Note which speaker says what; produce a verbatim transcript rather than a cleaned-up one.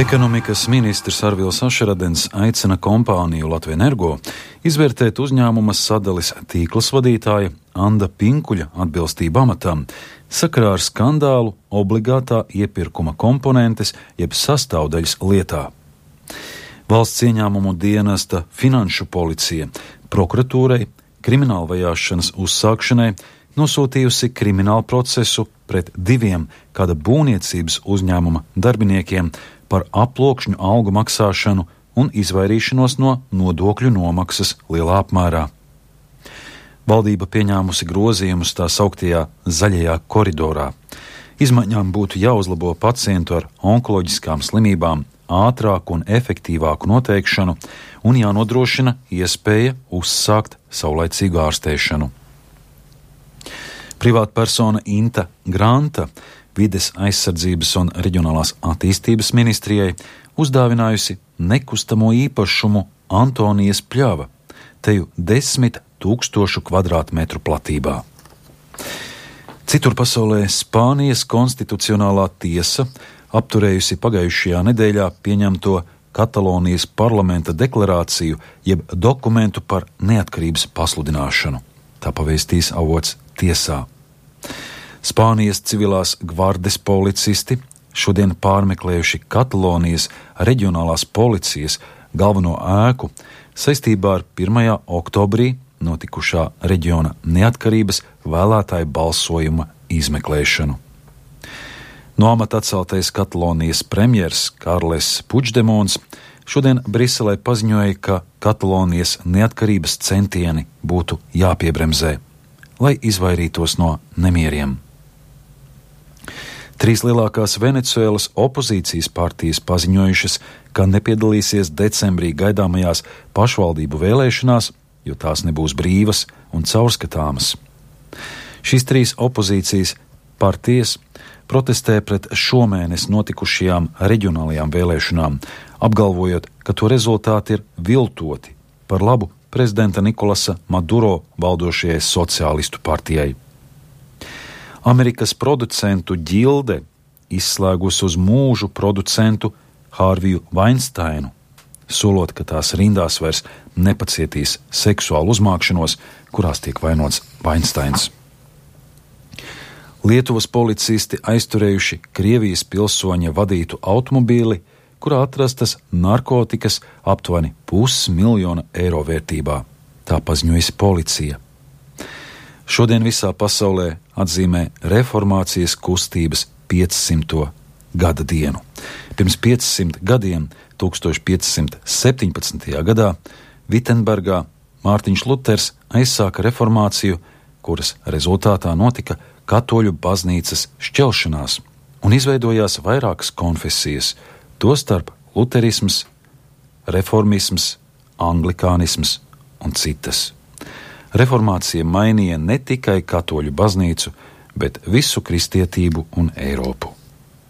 Speaker 1: Ekonomikas ministrs Arvils Ašeradens aicina kompāniju Latvenergo izvērtēt uzņēmuma sadalis tīklas vadītāja Anda Pinkuļa atbilstību amatam sakarā ar skandālu obligātā iepirkuma komponentes jeb sastāvdaļas lietā. Valsts ieņēmumu dienesta Finanšu policija prokuratūrai krimināla vajāšanas uzsākšanai nosūtījusi kriminālu procesu pret diviem kāda būvniecības uzņēmuma darbiniekiem par aploksņu algu maksāšanu un izvairīšanos no nodokļu nomaksas lielā apmērā. Valdība pieņēmusi grozījumus tā sauktajā zaļajā koridorā. Izmaiņām būtu jāuzlabo pacientu ar onkoloģiskām slimībām ātrāku un efektīvāku noteikšanu un jānodrošina iespēja uzsākt saulaicīgu ārstēšanu. Privātpersona Inta Granta Vides aizsardzības un reģionālās attīstības ministrijai uzdāvinājusi nekustamo īpašumu Antonijas pļava, teju desmit tūkstošu kvadrātmetru platībā. Citur pasaulē Spānijas konstitucionālā tiesa apturējusi pagājušajā nedēļā pieņemto Katalonijas parlamenta deklarāciju jeb dokumentu par neatkarības pasludināšanu. Tā pavēstīs avots tiesā. Spānijas civilās gvardes policisti šodien pārmeklējuši Katalonijas reģionālās policijas galveno ēku saistībā ar pirmajā oktobrī notikušā reģiona neatkarības vēlētāju balsojuma izmeklēšanu. No amata atceltais Katalonijas premjers Karles Puigdemons šodien Briselē paziņoja, ka Katalonijas neatkarības centieni būtu jāpiebremzē, lai izvairītos no nemieriem. Trīs lielākās Venecuēlas opozīcijas partijas paziņojušas, ka nepiedalīsies decembrī gaidāmajās pašvaldību vēlēšanās, jo tās nebūs brīvas un caurskatāmas. Šīs trīs opozīcijas partijas protestē pret šomēnes notikušajām reģionālajām vēlēšanām, apgalvojot, ka to rezultāti ir viltoti par labu prezidenta Nikolasa Maduro valdošajai sociālistu partijai. Amerikas producentu ģilde izslēgusi uz mūžu producentu Hārviju Vainsteinu, solot, ka tās rindās vairs nepacietīs seksuālu uzmākšanos, kurās tiek vainots Vainsteins. Lietuvas policisti aizturējuši Krievijas pilsoņa vadītu automobīli, kurā atrastas narkotikas aptuveni pusmiljona eiro vērtībā. Tā paziņojusi policija. Šodien visā pasaulē atzīmē reformācijas kustības piecsimto gada dienu. Pirms piecsimt gadiem, tūkstoš piecsimt septiņpadsmitajā gadā, Vitsenbergā Mārtiņš Luters aizsāka reformāciju, kuras rezultātā notika katoļu baznīcas šķelšanās un izveidojās vairākas konfesijas, tostarp luterisms, reformisms, anglikānisms un citas. Reformācija mainīja ne tikai katoļu baznīcu, bet visu kristietību un Eiropu.